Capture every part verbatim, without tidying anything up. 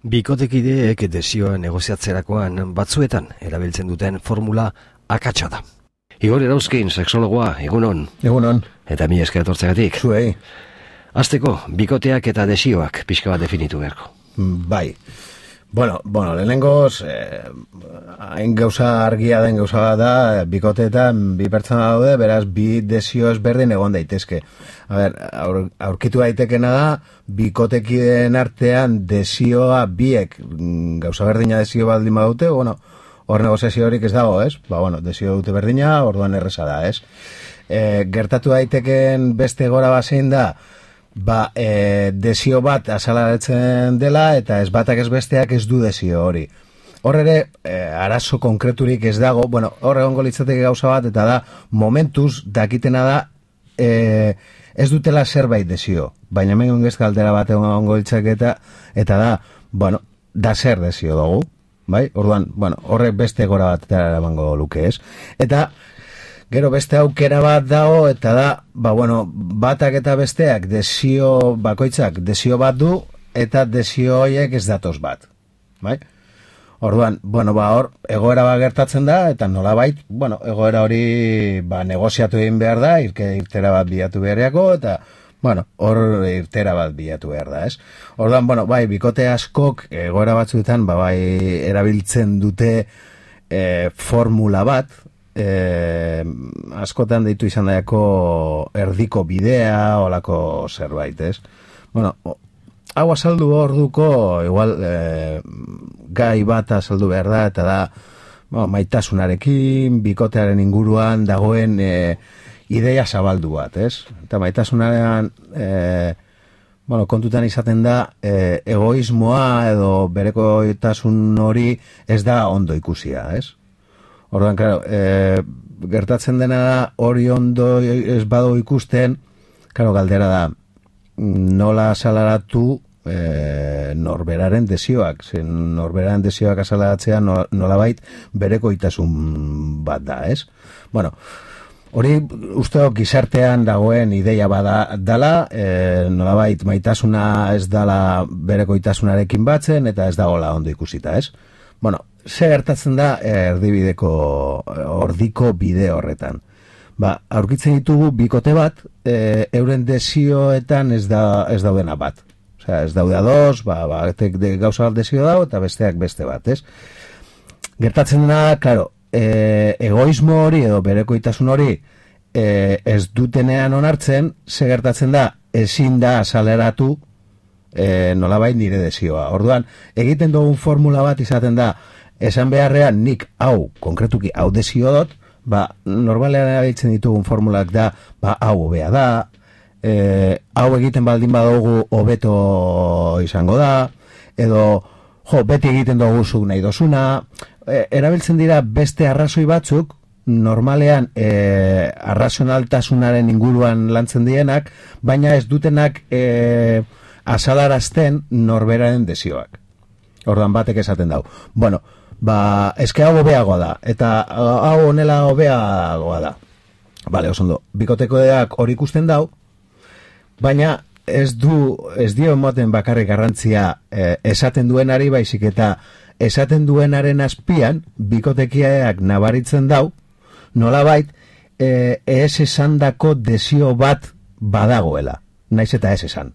Bikotekideek desioa negoziatzerakoan batzuetan erabiltzen duten formula akatsa da. Igor Erauzkin, sexologoa, egunon. Egunon. Eta mi esker etortzegatik. Zuei. Hasteko, bikoteak eta desioak pixka bat definitu beharko. Bai. Bueno, bueno, lehenengoz, eh, hain gauza argia den gauza bat da, bikoteetan bi pertsona daude, beraz, bi desio ezberdin egon daitezke. A ber, aur, aurkitu daitekena da, bikotekideen artean desioa biek gauza berdina desio baldin badute, bueno, hor negoziazio horik ez dago, ez? Ba, bueno, desio dute berdina, orduan erreza da, ez? E, gertatu daiteken beste gora bazein da, ba, e, desio bat azalaretzen dela, eta ez batak ez besteak ez du desio hori. Hor ere, e, arazo konkreturik ez dago, bueno, hor egongo litzateke gauza bat, eta da, momentuz, dakitena da, e, ez dutela zerbait desio. Baina hemen ongez galdera bat egongo litzateke eta, eta da, bueno, da zer desio dugu, bai? Orduan, bueno, horrek beste gora bat eramango luke, ez? Eta, gero beste aukera bat dago, eta da, ba, bueno, batak eta besteak desio bakoitzak desio bat du, eta desio horiek ez datoz bat, bai? Orduan, bueno, ba, hor, egoera bat gertatzen da, eta nolabait, bueno, egoera hori, ba, negoziatu egin behar da, irke, irtera bat bilatu beharriako, eta, bueno, hor irtera bat bilatu behar da, ez? Orduan, bueno, bai, bikote askok egoera batzuetan, ba, bai, erabiltzen dute e, formula bat, E, askotan deitu izan daiako erdiko bidea, olako zerbait, ez? Bueno, hau azaldu orduko, igual, e, gai bat azaldu behar da, eta da, bueno, maitasunarekin, bikotearen inguruan dagoen e, ideia zabaldu bat, ez? Eta maitasunaren, e, bueno, kontutan izaten da, e, egoismoa edo berekoitasun hori ez da ondo ikusia, ez? Orduan, claro, e, gertatzen dena da, hori ondo ez badu ikusten, claro, galdera da, nola azalaratu e, norberaren desioak. Zen norberaren desioak azalaratzea nolabait berekoitasun bat da, ez? Bueno, hori usteok gizartean dagoen ideia bada dala, e, nolabait maitasuna ez dala berekoitasunarekin batzen, eta ez dagoela ondo ikusita, ez? Bueno, ze gertatzen da erdibideko ordiko bide horretan. Ba, aurkitzen ditugu bikote bat, e, euren desioetan ez da ez daudena bat. Osea, ez daude ados, ba, ba, de, gauza bat desio dago eta besteak beste bat, ez? Gertatzen dena, claro, e, egoismo hori edo berekoitasun hori e, ez dutenean onartzen, ze gertatzen da, ezin da azaleratu E, nolabait nire desioa. Orduan, egiten dugun formula bat izaten da, esan beharrean nik hau, konkretuki hau desio dut, ba, normalean erabiltzen ditugun formulak da, ba, hau hobea da, e, hau egiten baldin badugu hobeto izango da, edo, jo, beti egiten dugu zuk nahi dozuna, e, erabiltzen dira beste arrazoi batzuk, normalean e, arrazionaltasunaren inguruan lantzen dienak, baina ez dutenak e, azalarazten norberaren desioak. Orduan batek esaten dau. Bueno, ba, eske hau hobeagoa da, eta hau honela hobeagoa da. Bale, oso ondo, bikotekodeak hori ikusten dau, baina ez du, ez dio emoten bakarrik garrantzia eh, esaten duenari, baizik eta esaten duenaren azpian, bikotekiaak nabaritzen dau, nolabait, eh, ez esandako desio bat badagoela, naiz eta ez esan.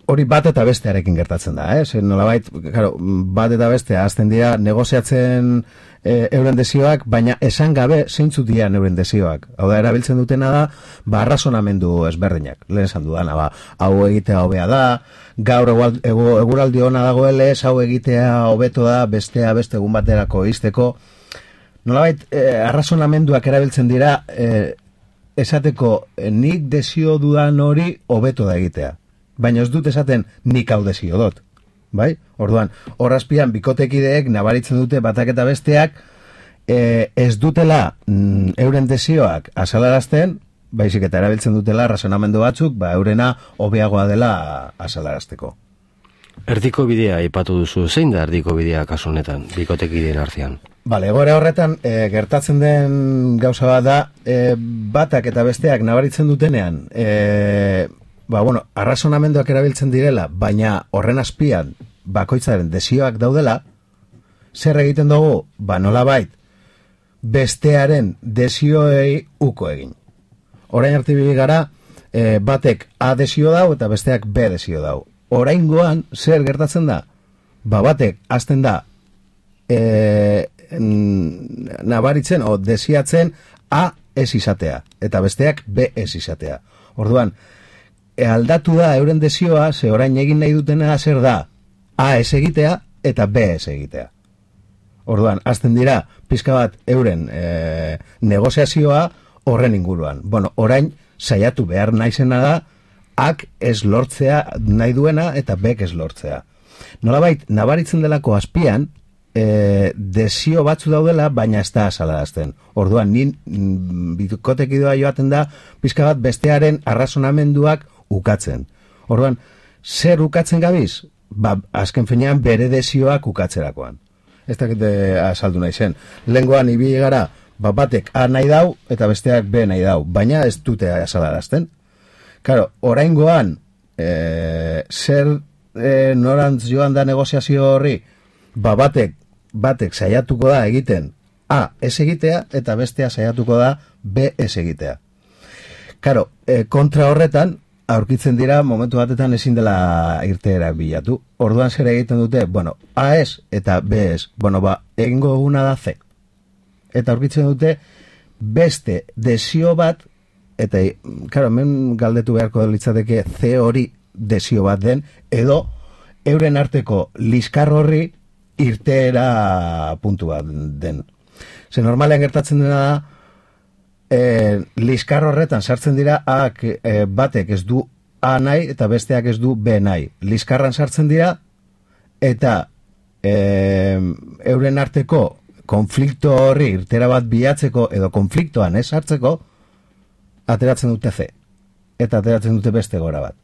Hori bat eta bestearekin gertatzen da, eh? Nolabait, claro, bat eta bestea azten dira negoziatzen e, euren desioak, baina esan gabe zeintzuk dira euren desioak. Hau da, erabiltzen dutena da, ba, arrazonamendu ezberdinak. Lehen esan dudana, ba, hau egitea hobea da, gaur egual, egu, eguraldi ona dagoelez, hau egitea hobeto da, bestea beste egun baterako izteko. Nolabait, e, arrazonamenduak erabiltzen dira, e, esateko nik desio dudan hori hobeto da egitea. Baina ez dut esaten nik hau desio dut. Bai? Orduan, horrazpian bikotekideek nabaritzen dute batak eta besteak e, ez dutela mm, euren desioak azalarazten, baizik eta erabiltzen dutela razonamendu batzuk, ba eurena hobeagoa dela azalarazteko. Erdiko bidea aipatu duzu, zein da erdiko bidea kasu honetan, bikotekideen artean? Bale, egoera horretan e, gertatzen den gauza bat da, e, batak eta besteak nabaritzen dutenean, e, ba, bueno, arrazonamenduak erabiltzen direla, baina horren azpian bakoitzaren desioak daudela, zer egiten dugu, ba, nolabait, bestearen desioei uko egin. Orain arte bibi gara, e, batek A desio dau eta besteak B desio dau. Oraingoan, zer gertatzen da? Ba, batek azten da e, nabaritzen o desiatzen A ez izatea, eta besteak B ez izatea. Orduan, e, aldatu da euren desioa, ze orain egin nahi dutena zer da, A ez egitea eta B ez egitea. Orduan, azten dira, pizka bat euren e, negoziazioa horren inguruan. Bueno, orain, saiatu behar naizena da, ak ez lortzea nahi duena eta bek ez lortzea. Nolabait, nabaritzen delako azpian, e, desio batzu daudela, baina ez da azalarazten. Orduan, nin bikotekidoa joaten da, pizka bat bestearen arrazonamenduak ukatzen. Orduan, zer ukatzen gabiz? Ba, azken finean bere desioak ukatzerakoan. Ez dakite azaldu nahi zen. Lengoan ibili gara, ba, batek A nahi dau eta besteak B nahi dau, baina ez dute azalarazten. Claro, oraingoan e, zer e, norantz joan da negoziazio horri, ba, batek, batek saiatuko da egiten A ez egitea eta bestea saiatuko da B ez egitea. Claro, e, kontra horretan, aurkitzen dira momentu batetan ezin dela irteerak bilatu. Orduan zer egiten dute, bueno, A ez eta B ez. Bueno, ba, egingo eguna da C. Eta aurkitzen dute beste desio bat, eta, karo, hemen galdetu beharko litzateke C hori desio bat den, edo euren arteko liskar horri irteera puntu bat den. Ze normalean gertatzen dena da, E, liskar horretan sartzen dira A, e, batek ez du A nahi eta besteak ez du B nahi. Liskarran sartzen dira eta e, euren arteko konflikto horri irtera bat bilatzeko edo konfliktoan ez sartzeko ateratzen dute C eta ateratzen dute beste gora bat.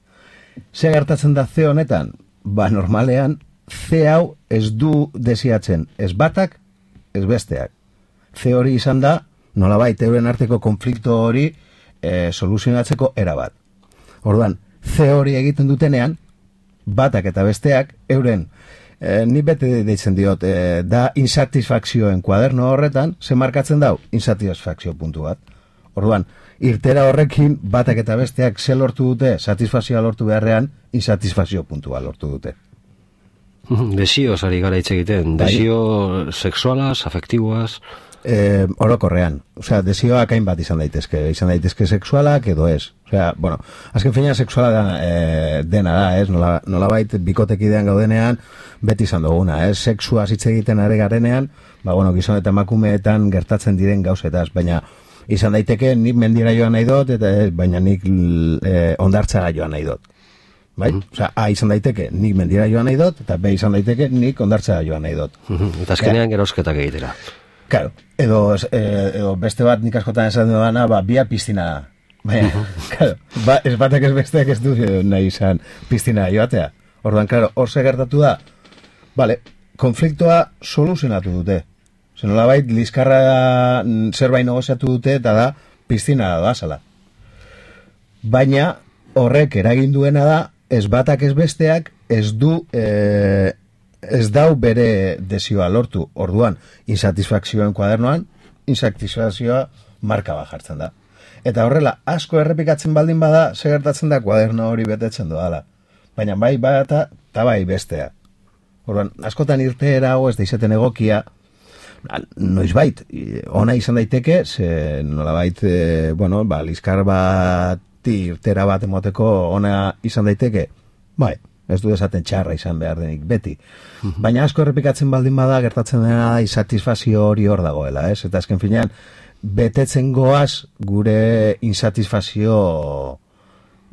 Ze gertatzen da C honetan? Ba, normalean C hau ez du desiatzen ez batak ez besteak. C hori izan da nolabait euren arteko konflikto hori e, soluzionatzeko erabat. Orduan, C hori egiten dutenean, batak eta besteak, euren, e, ni bete deitzen diot, e, da insatisfakzioen kuaderno horretan, ze markatzen dau, insatisfakzio puntu bat. Orduan, irtera horrekin, batak eta besteak ze lortu dute, satisfazioa lortu beharrean, insatisfazio puntua lortu dute. Desioz ari gara hitz egiten, desio sexualaz, afektiboaz... Eh, orokorrean, osea, desioak hainbat izan daitezke, izan daitezke sexualak edo ez. Osea, bueno, azken finean sexuala da, e, dena da, ez? Nola, nolabait bikotekidean gaudenean beti izan duguna, ez? Sexua hitz egiten are garenean, ba, bueno, gizon eta emakumeetan gertatzen diren gauzetaz, baina izan daiteke nik mendira joan nahi dut, eta ez, baina nik e, ondartzara joan nahi dut. Bai? Mm-hmm. Osea, A izan daiteke nik mendira joan nahi dut, eta B izan daiteke nik ondartzara joan nahi dut. Mm-hmm. Eta azkenean ja. Gerosketak egitera. Claro, edo, edo beste bat nik askotan esan dudana, ba, bia piztina. Baina, claro, ba, ez batak ez besteak ez du nahi izan piztina joatea. Orduan, claro, hor ze gertatu da, vale, konfliktoa soluzionatu dute. Zenolabait, liskarra zerbait negoziatu dute, eta da, piztina da zala. Baina, horrek eragin duena da, ez batak ez besteak, ez du... E, ez dau bere desioa lortu. Orduan, insatisfakzioen kuadernoan, insatisfakzioa marka bat jartzen da. Eta horrela, asko errepikatzen baldin bada, segertatzen da kuaderno hori betetzen doala. Baina bai bata, eta bai bestea. Orduan, askotan irteera hau ez da izaten egokia, noizbait, ona izan daiteke, ze nolabait, e, bueno, ba, liskar bat irtera bat emoteko ona izan daiteke, bai, ez du esaten txarra izan behar denik beti. Baina asko errepikatzen baldin bada, gertatzen dena insatisfazio hori hor dagoela, ez? Eta azken finean, betetzen goaz gure insatisfazio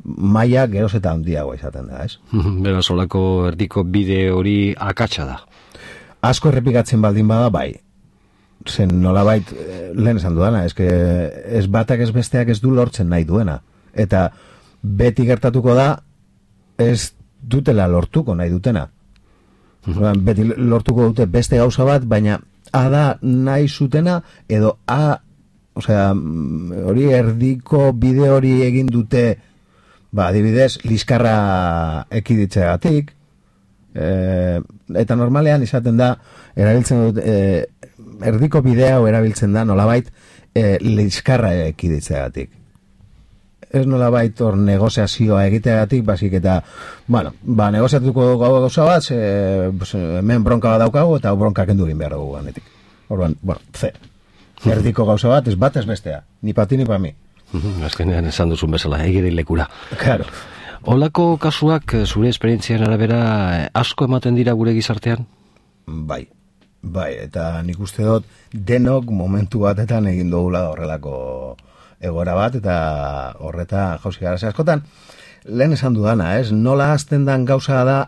maila geroz eta handiagoa izaten da, ez? Beraz, olako erdiko bide hori akatsa da. Asko errepikatzen baldin bada, bai. Zen nolabait, lehen esan dudana, ez, que ez batak ez besteak ez du lortzen nahi duena. Eta beti gertatuko da, ez dutela lortuko nahi dutena. Mm-hmm. Beti lortuko dute beste gauza bat, baina A da nahi zutena, edo A, osea, hori erdiko bide hori egin dute ba, adibidez, liskarra ekiditzeagatik, e, eta normalean izaten da, erabiltzen dut, e, erdiko bidea erabiltzen da, nolabait, e, liskarra ekiditzeagatik. Ez nolabait hor negoziazioa egiteagatik, basik eta, bueno, ba, negoziatuko gau gauza bat, ze, pues, hemen bronka bat daukagu, eta bronka kendu egin behar dugu ganetik. Orduan, bueno, ze, erdiko gauza bat, ez bat ez bestea, ni pati ni pa mi. Azkenean esan duzun bezala, egiri lekura. Claro. Olako kasuak, zure esperientzian arabera, asko ematen dira gure gizartean? Bai, bai, eta nik uste dut denok momentu batetan egin dugula horrelako egora bat, eta horreta jauzi gara. Askotan, lehen esan dudana, ez? Nola azten dan gauza da,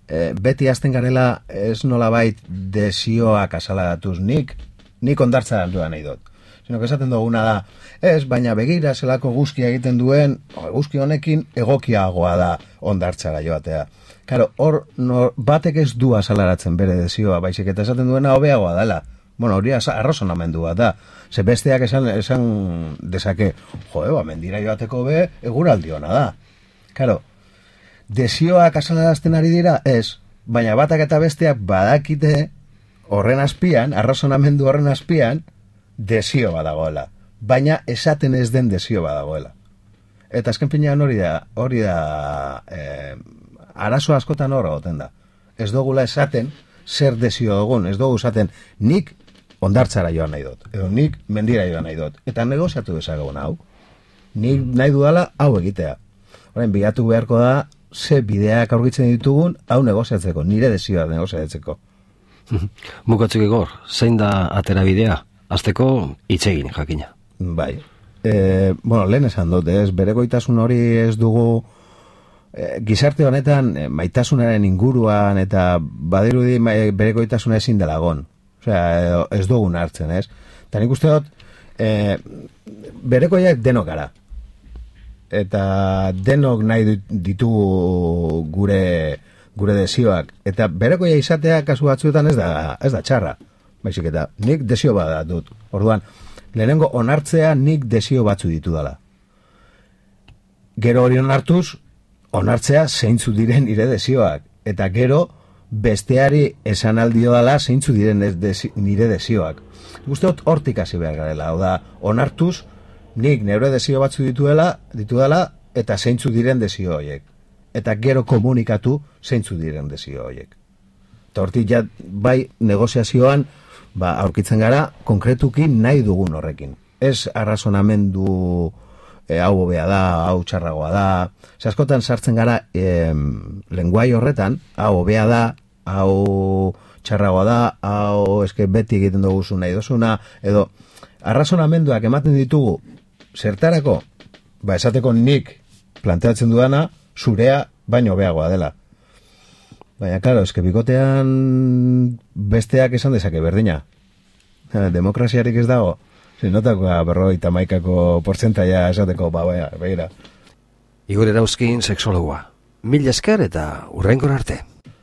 e, beti azten garela, ez nola bait desioak asaladatuz nik, nik ondartza duan nahi dut. Sino que esaten duguna da, ez, baina begira zelako guzkia egiten duen, guzki honekin egokiagoa da ondartzara joatea. Karo, hor no, batek ez du asalaratzen bere desioa, baizik eta esaten duena hobeagoa dela. Bueno, hori arrazonamendua da. Ze besteak esan, esan dezake, joe, ba, mendira joateko be, eguraldi ona da. Karo, desioak asalarazten ari dira, ez, baina batak eta besteak badakite horren azpian, arrazonamendu horren azpian, desio badagoela, baina esaten ez den desio badagoela. Eta azken pinean hori da, hori da, eh, arazo askotan hor goten da. Ez dugula esaten zer desio dugun, ez dugu esaten nik ondartzara joan nahi dut, edo nik mendira joan nahi dut, eta negoziatu dezagun hau. Nik nahi dudala hau egitea. Horren, bilatu beharko da, ze bideak aurkitzen ditugun, hau negoziatzeko, nire desioa negoziatzeko. Bukatzuk egor, zein da atera bidea? Azteko itzegin, jakina. Bai. E, bueno, lehen esan dut, ez, berekoitasun hori ez dugu e, gizarte honetan e, maitasunaren inguruan eta badirudi e, berekoitasuna ezin delagon. Osea, ez dugun hartzen, ez? Eta nik uste dut, e, berekoiak denok gara. Eta denok nahi ditugu gure, gure desioak. Eta berekoia izatea kasu batzuetan ez da, ez da txarra. Baizik eta nik desio bat dut. Orduan, lehenengo onartzea nik desio batzu ditu dela. Gero hori onartuz, onartzea zeintzu diren nire desioak. Eta gero besteari esan aldio dela zeintzu diren ez desi, nire desioak. Guztiot hortik hasi behar garela. Hau da, onartuz, nik nire desio batzu dituela, ditu dela, eta zeintzu diren desio horiek. Eta gero komunikatu zeintzu diren desio horiek. Eta hortik ja, bai negoziazioan, ba, aurkitzen gara, konkretuki nahi dugun horrekin. Ez arrazonamendu e, hau hobea da, hau txarragoa da. Ze askotan sartzen gara e, lenguai horretan, hau hobea da, hau txarragoa da, hau eske beti egiten dugu nahi dozuna, edo arrazonamenduak ematen ditugu zertarako, ba, esateko nik planteatzen dudana, zurea baino hobeagoa dela. Baina, klaro, eske bikotean besteak esan dezake berdina. Demokraziarik ez dago. Zinotako berrogeita hamaikako portzentaia esateko, ba, baina, begira. Igor Erauzkin, sexologoa. Mil esker eta hurrengor arte.